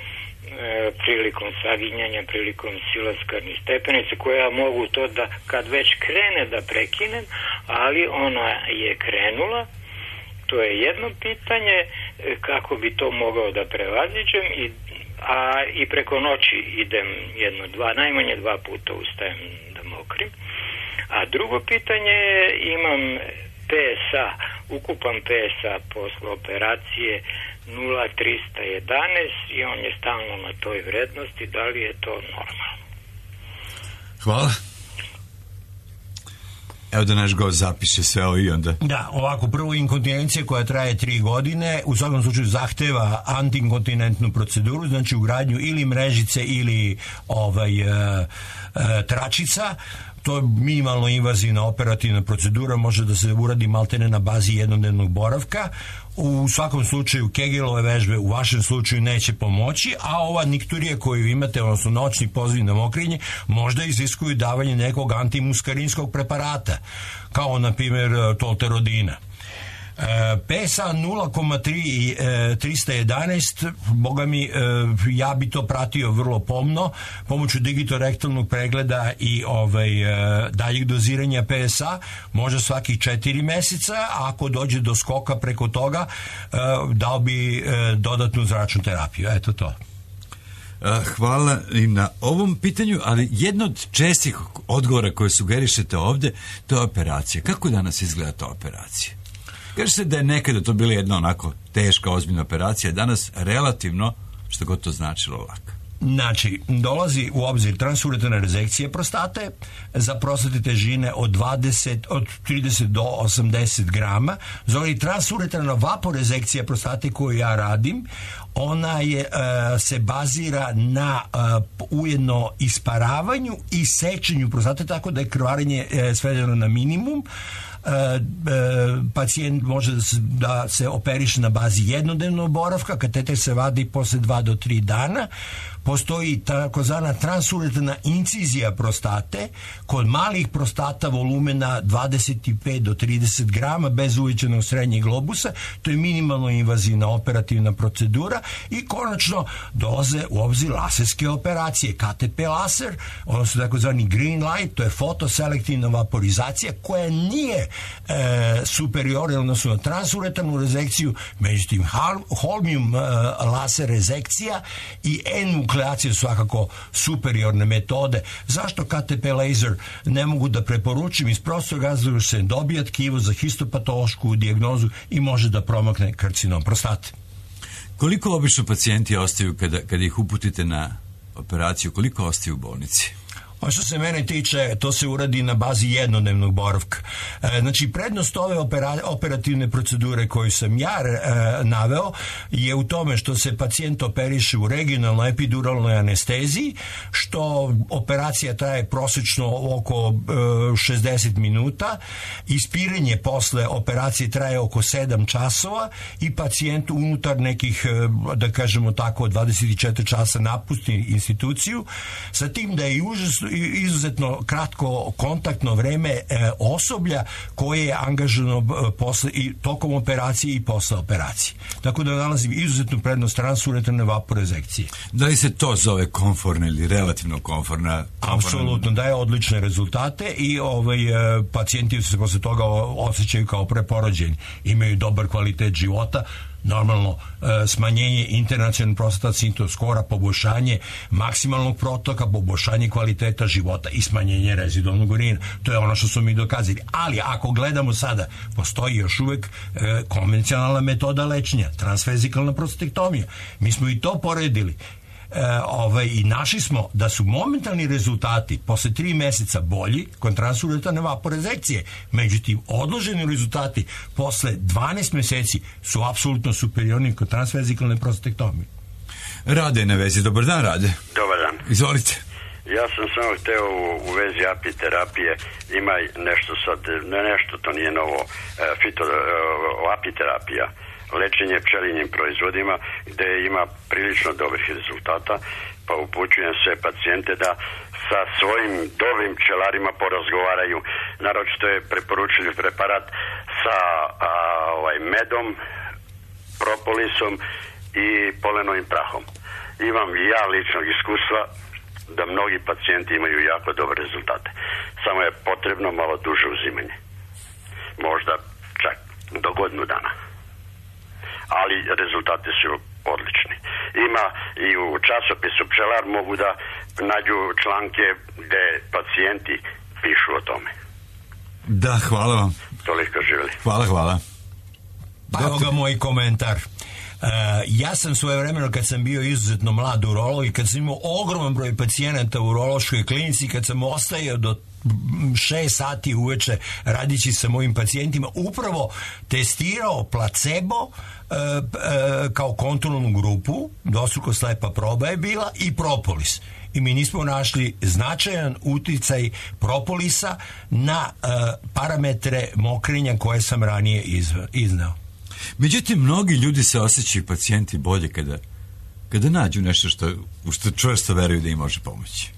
prilikom saginjanja, prilikom silaska niz stepenice, koja mogu to da kad već krene da prekinem, ali ona je krenula. To je jedno pitanje, e, kako bi to mogao da prevaziđem, i, a i preko noći idem jedno, dva, najmanje dva puta ustajem da mokrim. A drugo pitanje je, imam P S A, ukupan P S A posle operacije nula trista jedanaest i on je stalno na toj vrednosti. Da li je to normalno? Hvala. Evo da naš gost zapiše sve ovo i onda. Da, ovako, prvo inkontinencija koja traje tri godine, u svakom slučaju zahteva antiinkontinentnu proceduru, znači ugradnju ili mrežice ili ovaj, e, e, tračica. To je minimalno invazivna operativna procedura, može da se uradi maltene na bazi jednodnevnog boravka. U svakom slučaju Kegelove vežbe u vašem slučaju neće pomoći, a ova nikturija koju imate, odnosno noćni poziv na mokrenje, možda iziskuju davanje nekog antimuskarinskog preparata, kao na primjer tolterodina. P S A nula zarez tri i trista jedanaest, boga mi, ja bi to pratio vrlo pomno pomoću digitorektalnog pregleda i ovaj, daljeg doziranja P S A, može svakih četiri meseca, a ako dođe do skoka preko toga, dao bi dodatnu zračnu terapiju. Eto to. Hvala i na ovom pitanju, ali jedno od čestih odgovora koje sugerišete ovde, to je operacija. Kako danas izgleda ta operacija? Kaže se da je nekada to bila jedna onako teška, ozbiljna operacija, danas relativno, što god to značilo, laka. Znači, dolazi u obzir transuretrana rezekcija prostate za prostate težine od, dvadeset, od trideset do osamdeset grama. Zove transuretrana vaporezekcija prostate koju ja radim, ona je, uh, se bazira na uh, ujedno isparavanju i sečenju prostate, tako da je krvarenje uh, svedeno na minimum. Uh, uh, pacijent može da se, da se operiše na bazi jednodnevnog boravka, kateter se vadi posle dva do tri dana. Postoji takozvana transuretrana incizija prostate kod malih prostata volumena dvadeset pet do trideset grama bez uvećanog srednjeg globusa. To je minimalno invazivna operativna procedura i konačno dolaze u obzir laserske operacije, K T P laser, odnosno takozvani green light, to je fotoselektivna vaporizacija koja nije e, superiorna odnosno na transuretranu rezekciju, međutim holmium e, laser rezekcija i N-nukleacija svakako superiorne metode. Zašto K T P laser ne mogu da preporučim? Iz prostog razloga se dobija tkivo za histopatološku dijagnozu i može da promakne karcinom prostate. Koliko obično pacijenti ostaju kada, kada ih uputite na operaciju, koliko ostaju u bolnici? A što se mene tiče, to se uradi na bazi jednodnevnog boravka. E, znači, prednost ove opera, operativne procedure koju sam ja e, naveo je u tome što se pacijent operiše u regionalnoj epiduralnoj anesteziji, što operacija traje prosečno oko e, šezdeset minuta, ispiranje posle operacije traje oko sedam časova i pacijent unutar nekih, e, da kažemo tako, dvadeset četiri časa napusti instituciju, sa tim da je užasno izuzetno kratko kontaktno vreme e, osoblja koje je angažano e, posle, i tokom operacije i posle operacije. Tako da nalazim izuzetnu prednost transuretrane vaporezekcije. Da li se to zove komforna ili relativno komforna? Apsolutno, daje odlične rezultate i ovaj, e, pacijenti se posle toga osjećaju kao preporođeni. Imaju dobar kvalitet života, normalno e, smanjenje internacionalnog prostat sintom skora, poboljšanje maksimalnog protoka, poboljšanje kvaliteta života i smanjenje rezidualnog urina. To je ono što smo mi dokazali. Ali ako gledamo sada, postoji još uvek e, konvencionalna metoda lečenja, transvezikalna prostatektomija. Mi smo i to poredili. E, ovaj, i našli smo da su momentalni rezultati posle tri meseca bolji kod transuretrane vaporezekcije, međutim odloženi rezultati posle dvanaest meseci su apsolutno superiorni kod transvezikalne prostatektomije. Rade je na vezi. Dobar dan, Rade. Dobar dan. Izvolite. Ja sam samo hteo u, u vezi apiterapije, ima nešto sad, ne nešto, to nije novo, fito, apiterapija, lečenje pčelinjim proizvodima gde ima prilično dobrih rezultata, pa upućujem sve pacijente da sa svojim dobrim pčelarima porazgovaraju. Naročito je preporučili preparat sa a, ovaj, medom, propolisom i polenovim prahom. Imam i ja ličnog iskustva da mnogi pacijenti imaju jako dobre rezultate. Samo je potrebno malo duže uzimanje. Možda čak do godinu dana. Ali rezultati su odlični. Ima i u časopisu Pčelar mogu da nađu članke gde pacijenti pišu o tome. Da, hvala vam. Toliko živjeli. Hvala, hvala. Pa evo ga moj komentar. Uh, ja sam svojevremeno kad sam bio izuzetno mlad urolog i kad sam imao ogroman broj pacijenata u urološkoj klinici, kad sam ostajao do šest sati uveče radići sa mojim pacijentima, upravo testirao placebo uh, uh, kao kontrolnu grupu, dvostruko slepa proba je bila, i propolis. I mi nismo našli značajan uticaj propolisa na uh, parametre mokrenja koje sam ranije izva, iznao. Međutim, mnogi ljudi se osjećaju pacijenti bolje kada, kada nađu nešto što, u što čvrsto veruju da im može pomoći.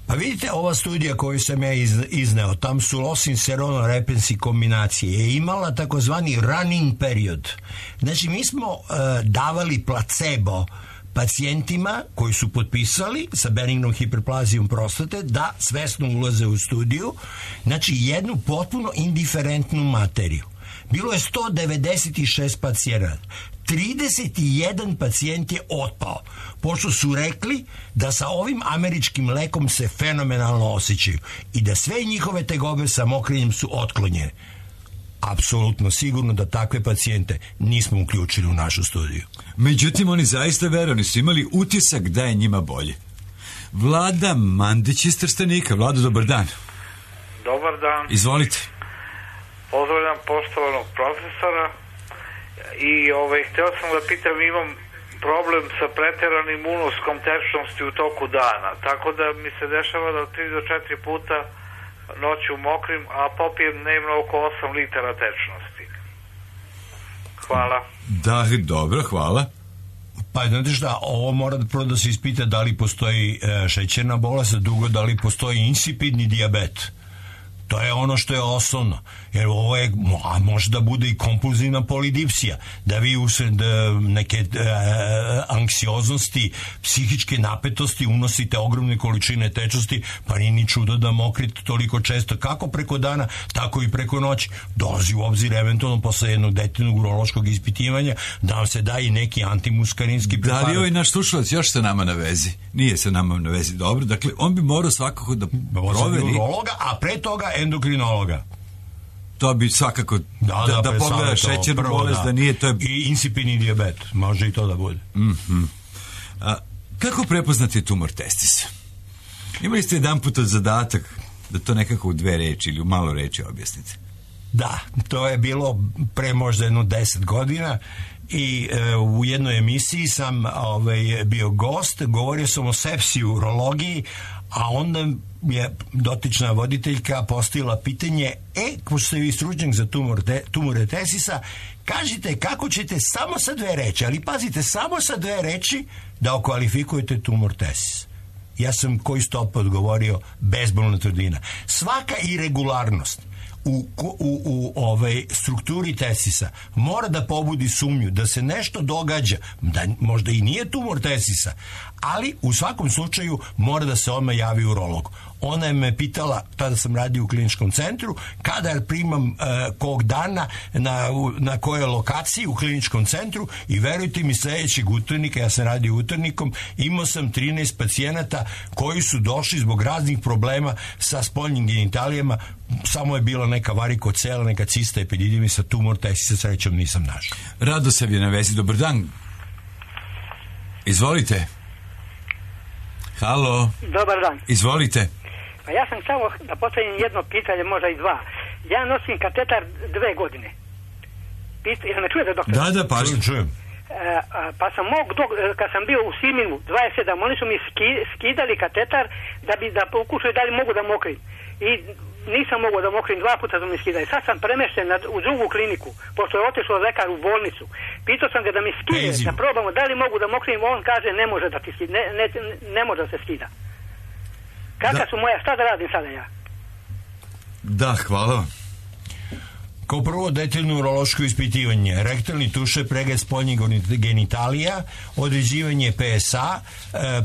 Pa vidite, ova studija koju sam ja izneo, tam su losin serono repensi kombinacije, je imala takozvani running period. Znači, mi smo uh, davali placebo pacijentima koji su potpisali sa benignom hiperplazijom prostate da svesno ulaze u studiju, znači jednu potpuno indiferentnu materiju. Bilo je sto devedeset šest pacijenata. trideset jedan pacijent je otpao, pošto su rekli da sa ovim američkim lekom se fenomenalno osjećaju i da sve njihove tegobe sa mokrenjem su otklonjene. Apsolutno sigurno da takve pacijente nismo uključili u našu studiju. Međutim, oni zaista verovni su imali utisak da je njima bolje. Vlada Mandić iz Trstenika. Vlado, dobar dan. Dobar dan. Izvolite. Pozdravljam poštovanog profesora i ovaj, htio sam da pitam, imam problem sa pretjeranim unoskom tečnosti u toku dana, tako da mi se dešava da tri do četiri puta noću mokrim, a popijem dnevno oko osam litara tečnosti. Hvala. Da, dobro, hvala. Pa znate šta, ovo mora prvo da se ispita da li postoji e, šećerna bolest, a drugo da li postoji insipidni dijabet. To je ono što je osnovno. Jer ovo je, a može da bude i kompulzivna polidipsija, da vi usred neke e, anksioznosti, psihičke napetosti unosite ogromne količine tečnosti, pa nije ni čudo da mokrite toliko često, kako preko dana, tako i preko noći. Dolazi u obzir eventualno posle jednog detaljnog urološkog ispitivanja da vam se da i neki antimuskarinski preparat. Da li ovaj naš slušalac još sa nama na vezi? Nije sa nama na vezi, dobro. Dakle, on bi morao svakako da proveri urologa, a pre toga endokrinologa. To bi svakako da, da, da, da pogleda šećernu bolest, da nije to je... I insipidni dijabet, može i to da bude. Mm-hmm. A, kako prepoznati tumor testisa? Imali ste jedan put od zadatak da to nekako u dve reči ili u malo reči objasnite. Da, to je bilo pre možda jedno deset godina i e, u jednoj emisiji sam ovaj, bio gost, govorio sam o sepsiji u urologiji, a onda je dotična voditeljka postavila pitanje, e, ko ste vi stručnjak za tumor te, tumore tesisa, kažite kako ćete samo sa dve reči, ali pazite, samo sa dve reči da okvalifikujete tumor tesis. Ja sam koji stop odgovorio bezbolna tvrdina. Svaka irregularnost u, u, u ovaj strukturi tesisa mora da pobudi sumnju da se nešto događa, da možda i nije tumor tesisa, ali u svakom slučaju mora da se odmah javi urolog. Ona je me pitala, tada sam radio u kliničkom centru, kada primam uh, kog dana, na, na kojoj lokaciji u kliničkom centru, i verujte mi, sledećeg utornika, ja sam radio utornikom, imao sam trinaest pacijenata koji su došli zbog raznih problema sa spoljnim genitalijama, samo je bila neka varikocela, neka cista epididimisa, tumor tesisa, srećom nisam našao. Radosav je na vezi, dobar dan. Izvolite. Halo. Dobar dan. Izvolite. Pa ja sam samo da postavim jedno pitanje, možda i dva. Ja nosim katetar dve godine. Pita, jel me čujete, doktor? Da, da, pa čujem. E, pa sam mog, dok, kad sam bio u Siminu dvadeset sedam, oni su mi ski, skidali katetar da bi da pokušaju da li mogu da mokrim. I nisam mogao da mokrim, dva puta su mi skidali. Sad sam premešten na, u drugu kliniku, pošto je otišao lekar u bolnicu. Pitao sam ga da mi skide, da probamo da li mogu da mokrim, on kaže ne može da ti skida, ne, ne, ne može da se skida. Kakva su moja, šta da radim sada ja? Da, hvala vam. Kao prvo, detaljno urološko ispitivanje, rektalni tuše, pregled spoljnih genitalija, određivanje P S A,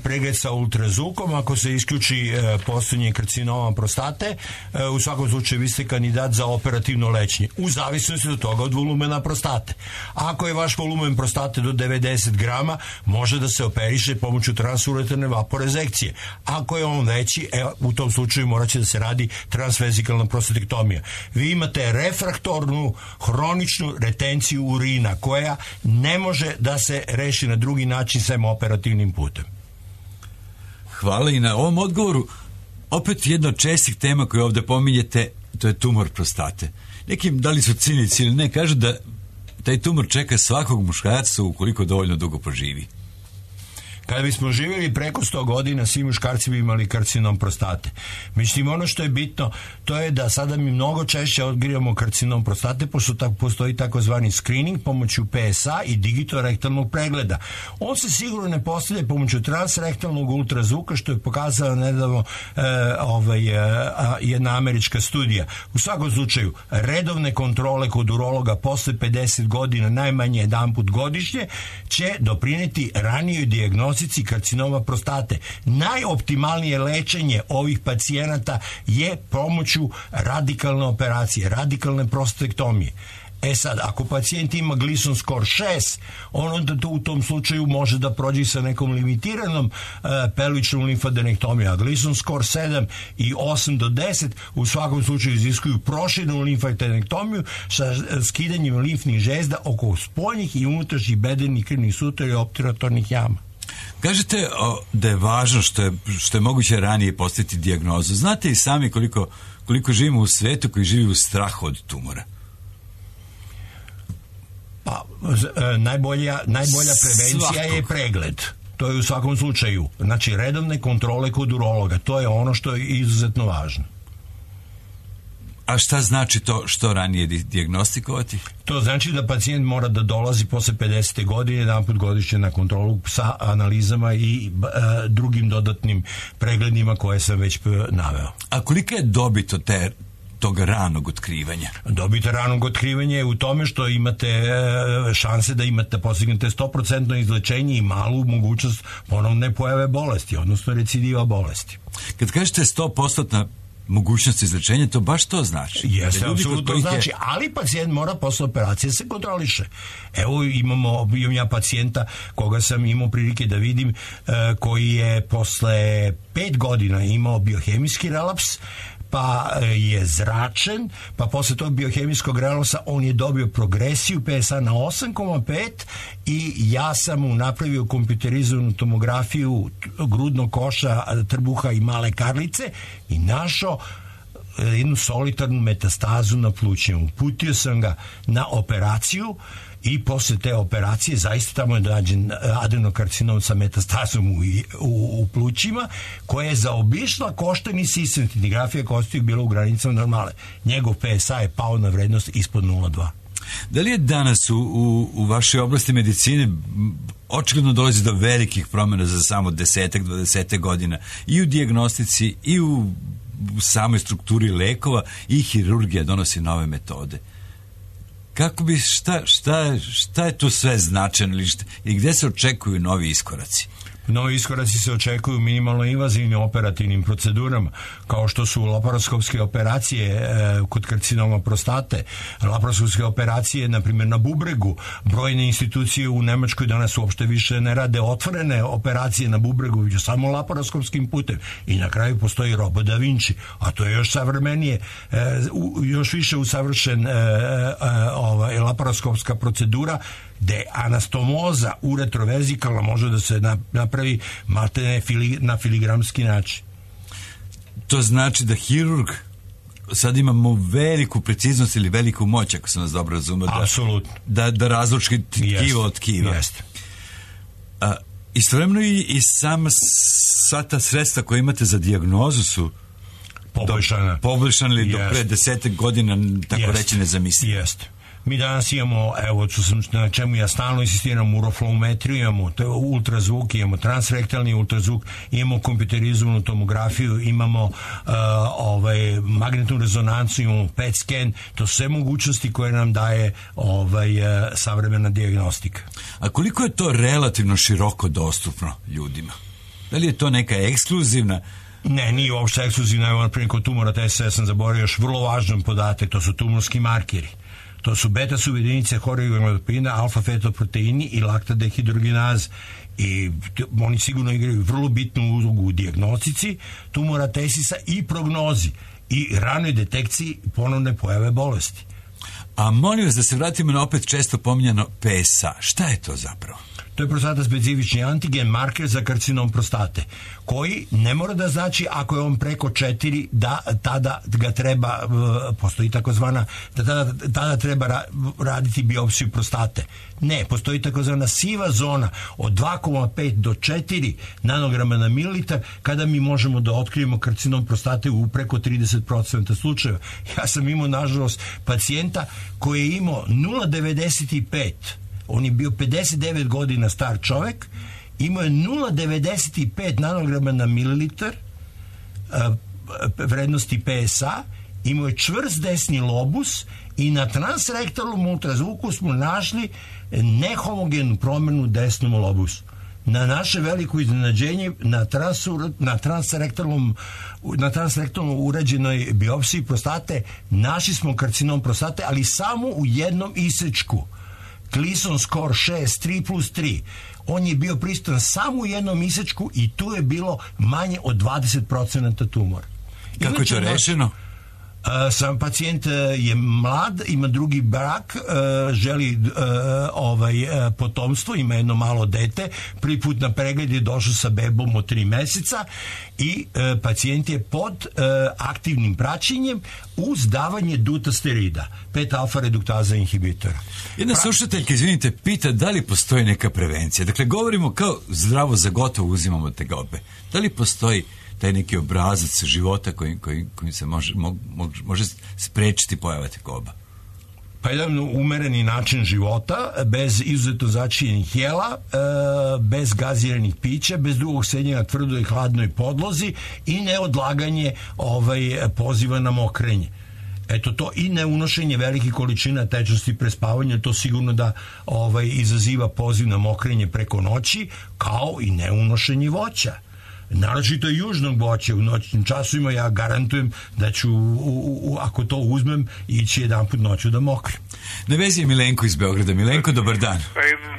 pregled sa ultrazvukom, ako se isključi postojanje karcinoma prostate, u svakom slučaju vi ste kandidat za operativno lečenje, u zavisnosti od toga od volumena prostate. Ako je vaš volumen prostate do devedeset grama, može da se operiše pomoću transuretarne vaporezekcije. Ako je on veći, e, u tom slučaju morat će da se radi transvezikalna prostatektomija. Vi imate refraktor hroničnu retenciju urina koja ne može da se reši na drugi način sem operativnim putem. Hvala i na ovom odgovoru. Opet jedna od čestih tema koju ovde pominjete, to je tumor prostate. Nekim, da li su cinici ili ne, kažu da taj tumor čeka svakog muškarca ukoliko dovoljno dugo poživi. Kada bismo živjeli preko sto godina, svi muškarci bi imali karcinom prostate. Međutim, ono što je bitno, to je da sada mi mnogo češće otkrivamo karcinom prostate, pošto tak, postoji takozvani screening pomoću P S A i digitorektalnog pregleda. On se sigurno ne postavlja pomoću transrektalnog ultrazvuka, što je pokazala nedavno e, ovaj, e, jedna američka studija. U svakom slučaju, redovne kontrole kod urologa posle pedeset godina, najmanje jedanput godišnje, će doprineti ranijoj dijagnozi karcinoma prostate. Najoptimalnije lečenje ovih pacijenata je pomoću radikalne operacije, radikalne prostatektomije. E sad, ako pacijent ima Gleason score šest, on onda to u tom slučaju može da prođe sa nekom limitiranom uh, pelvičnom limfadenektomijom, a Gleason score sedam i osam do deset u svakom slučaju iziskuju proširenu limfadenektomiju sa skidanjem limfnih žezda oko spoljnih i unutrašnjih bedenih krvnih sutara i opturatornih jama. Kažete o, da je važno što je, što je moguće ranije postaviti dijagnozu. Znate i sami koliko, koliko živimo u svetu koji živi u strahu od tumora? Pa, e, najbolja, najbolja prevencija Svakog. je pregled. To je u svakom slučaju. Znači, redovne kontrole kod urologa. To je ono što je izuzetno važno. A šta znači to što ranije dijagnostikovati? To znači da pacijent mora da dolazi posle pedesete godine jedan put godišnje na kontrolu sa analizama i e, drugim dodatnim pregledima koje sam već naveo. A kolika je dobit od te tog ranog otkrivanja? Dobit ranog otkrivanja je u tome što imate e, šanse da imate postignete sto posto izlečenje i malu mogućnost ponovne pojave bolesti, odnosno recidiva bolesti. Kad kažete sto posto mogućnost izlečenja, to baš to znači. Jeste, apsolutno znači, je... ali pacijent mora posle operacije se kontroliše. Evo imamo, imam ja pacijenta koga sam imao prilike da vidim, uh, koji je posle pet godina imao biohemijski relaps, pa je zračen, pa posle tog biohemijskog relapsa on je dobio progresiju P S A na osam zarez pet i ja sam mu napravio kompjuterizovanu tomografiju grudnog koša, trbuha i male karlice i našao jednu solitarnu metastazu na plućima. Uputio sam ga na operaciju i posle te operacije zaista tamo je nađen adenokarcinom sa metastazom u, u, u plućima, koja je zaobišla koštani sistem. Tintigrafija kostiju bila u granicama normale. Njegov P S A je pao na vrednost ispod nula zarez dva. Da li je danas u, u, u vašoj oblasti medicine očigledno dolazi do velikih promjena za samo desetak, dvadesetak godina i u dijagnostici i u, u samoj strukturi lekova i hirurgija donosi nove metode? Kako bi, šta, šta, šta je tu sve značajno i gde se očekuju novi iskoraci? Novi iskoraci se očekuju minimalno invazivnim operativnim procedurama, kao što su laparoskopske operacije e, kod karcinoma prostate, laparoskopske operacije, na primjer, na bubregu. Brojne institucije u Nemačkoj danas uopšte više ne rade otvorene operacije na bubregu, već samo laparoskopskim putem. I na kraju postoji robot Da Vinci, a to je još savremenije, e, u, još više usavršen e, e, ovaj, laparoskopska procedura, gde anastomoza uretrovezikalna može da se napravi maltene fili, na filigramski način. To znači da hirurg sad imamo veliku preciznost ili veliku moć, ako sam vas dobro razumio, Apsolutno. da, da razluči tkivo od tkiva. Jeste. A, istovremeno i, i sama sva ta sredstva koje imate za dijagnozu su poboljšana. Poboljšana ili do pre desetak godina, tako Jest. reći, nezamislivo. Jeste. Mi danas imamo, evo, što sam, na čemu ja stalno insistiram, uroflowmetriju, imamo ultrazvuk, imamo transrektalni ultrazvuk, imamo kompjuterizovanu tomografiju, imamo uh, ovaj, magnetnu rezonancu, imamo P E T scan, to su sve mogućnosti koje nam daje ovaj, uh, savremena dijagnostika. A koliko je to relativno široko dostupno ljudima? Da li je to neka ekskluzivna? Ne, nije uopšte ekskluzivna. Evo, naprimjer, kod tumora T S, ja sam zaboravio još vrlo važan podatak, to su tumorski markeri. To su beta subjedinice horigonadopina, alfa-fetoproteini i laktadehidrogenaz. I oni sigurno igraju vrlo bitnu ulogu u dijagnostici tumora tesisa i prognozi i ranoj detekciji ponovne pojave bolesti. A molim vas da se vratimo na opet često pominjano P S A. Šta je to zapravo? To je prostata specifični antigen marker za karcinom prostate, koji ne mora da znači ako je on preko četiri, da tada ga treba, postoji takozvana, da tada, tada treba raditi biopsiju prostate. Ne, postoji takozvana siva zona od dva zarez pet do četiri nanograma na mililitar, kada mi možemo da otkrijemo karcinom prostate u preko trideset posto slučajeva. Ja sam imao, nažalost, pacijenta koji je imao nula zarez devedeset pet. On je bio pedeset devet godina star čovek, imao je nula zarez devedeset pet nanograma na mililitar vrednosti P S A, imao je čvrst desni lobus i na transrektalnom ultrazvuku smo našli nehomogenu promenu desnom lobusu. Na naše veliko iznenađenje, na, transur, na transrektalnom na transrektalnom urađenoj biopsiji prostate našli smo karcinom prostate, ali samo u jednom isečku. Gleason score šest, tri plus tri. On je bio prisutan samo u jednom isečku i tu je bilo manje od dvadeset posto tumora. Kako je to rešeno? Uh, sam pacijent uh, je mlad, ima drugi brak, uh, želi uh, ovaj, uh, potomstvo, ima jedno malo dete, prvi put na pregled je došao sa bebom od tri meseca i uh, pacijent je pod uh, aktivnim praćenjem uz davanje dutasterida, pet alfa reduktaza inhibitora. Jedna pra... slušateljka, izvinite, pita da li postoji neka prevencija. Dakle, govorimo kao zdravo za gotovo uzimamo tegobe. Da li postoji taj neki obrazac života kojim koji, koji se može, mo, može sprečiti pojava tegoba? Pa jedan umereni način života, bez izuzetno začinjenih jela, bez gaziranih pića, bez drugog sedenja na tvrdoj i hladnoj podlozi i neodlaganje ovaj, poziva na mokrenje. Eto to, i neunošenje velikih količina tečnosti pre spavanja, to sigurno da ovaj, izaziva poziv na mokrenje preko noći, kao i neunošenje voća. Naročito južnog voća u noćnim časovima. Ja garantujem da ću, u, u, ako to uzmem, ići jedan put noću da mokrim. Na vezi je Milenko iz Beograda. Milenko, dobar dan.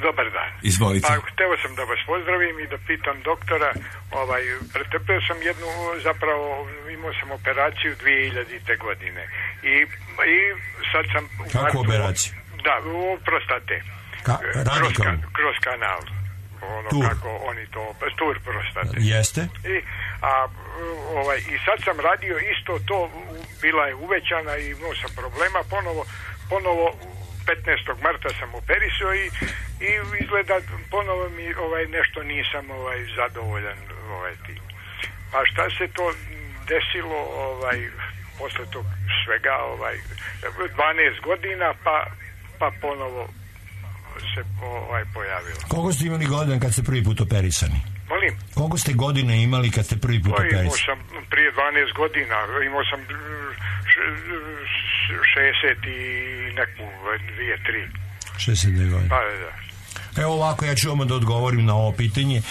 Dobar dan. Izvolite. Pa, hteo sam da vas pozdravim i da pitam doktora, ovaj, pretrpeo sam jednu, zapravo imao sam operaciju dvije hiljadite godine i, i sad sam... Kako operaciju? Da, u prostate. Ka, kroz, kroz kanal. Ono tur. Kako oni to, tur prostate. Jeste. I, a, ovaj, i sad sam radio isto to, bila je uvećana i imao sam problema, ponovo, ponovo petnaestog marta sam operisao i, i izgleda ponovo mi ovaj, nešto nisam ovaj, zadovoljan ovaj, tim. Pa šta se to desilo ovaj, posle tog svega, ovaj, dvanaest godina, pa, pa ponovo se ovaj, pojavilo. Koliko ste imali godina kad ste prvi put operisani? Molim? Koliko ste godina imali kad ste prvi put o, operisani? Imao sam prije dvanaest godina, imao sam šezdeset i neku, dvije, tri. šezdeset dve godine. Pa, da. Evo ovako, ja ću vam da odgovorim na ovo pitanje. E,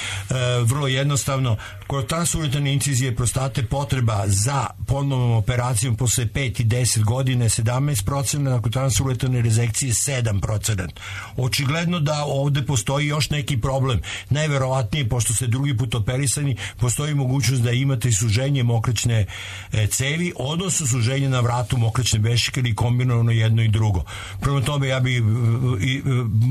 vrlo jednostavno, kod transuretane incizije prostate potreba za ponovnom operacijom posle pet i deset godine sedamnaest posto, nakon transuretane rezekcije sedam posto. Očigledno da ovde postoji još neki problem. Najverovatnije, pošto ste drugi put operisani, postoji mogućnost da imate suženje mokraćne e, cevi, odnosno suženje na vratu mokraćne bešike ili kombinovano jedno i drugo. Prema tome, ja bih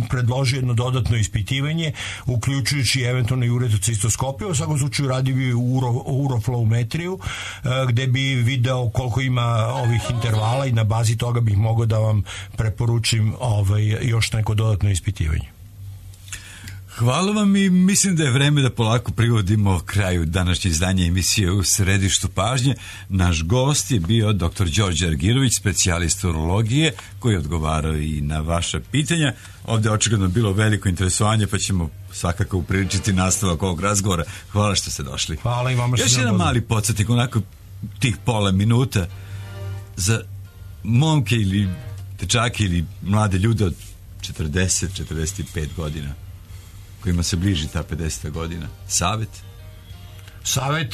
predložio jedno dodatno ispitivanje, uključujući eventualno i uretocistoskopiju. U svakom slučaju radi bi uro, uroflowmetriju, gde bi video koliko ima ovih intervala i na bazi toga bih mogao da vam preporučim ovaj, još neko dodatno ispitivanje. Hvala vam i mislim da je vreme da polako privodimo kraju današnje izdanje emisije U središtu pažnje. Naš gost je bio doktor Đorđe Argirović, specijalista urologije, koji je odgovarao i na vaša pitanja. Ovdje je očigledno bilo veliko interesovanje, pa ćemo svakako upriličiti nastavak ovog razgovora. Hvala što ste došli. Hvala i vama što Još ste jedan mali podsjetnik, onako tih pola minuta za momke ili dečake ili mlade ljude od četrdeset do četrdeset pet godina kojima se bliži ta pedeseta godina. Savet? Savet,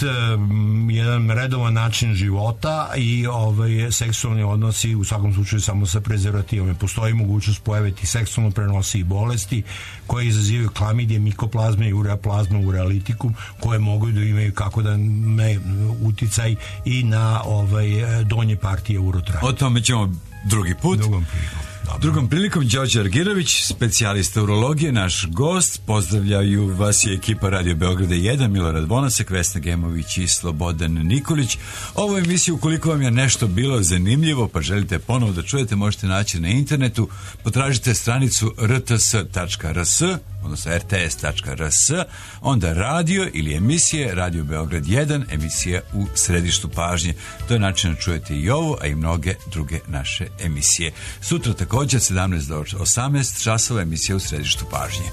jedan redovan način života i ovaj, seksualni odnosi u svakom slučaju samo sa prezervativom. Postoji mogućnost pojave tih seksualno prenosivih bolesti koje izazivaju klamidije, mikoplazme i ureaplazme, urealitikum, koje mogu da imaju kako da ne uticaj i na ovaj, donje partije urotraja. O tome ćemo drugi put. Drugom prilikom. Drugom prilikom Đorđe Argirović, specijalista urologije, naš gost. Pozdravljaju vas i ekipa Radio Beograda jedan, Milorad Vonasek, Vesna Gemović i Slobodan Nikolić. Ovu emisiju, ukoliko vam je nešto bilo zanimljivo pa želite ponovo da čujete, možete naći na internetu. Potražite stranicu r t s tačka r s, odnosno r t s tačka r s, onda radio ili emisije Radio Beograd jedan, emisija U središtu pažnje. To je način da čujete i ovo, a i mnoge druge naše emisije. Sutra također sedamnaest do osamnaest časova emisija U središtu pažnje.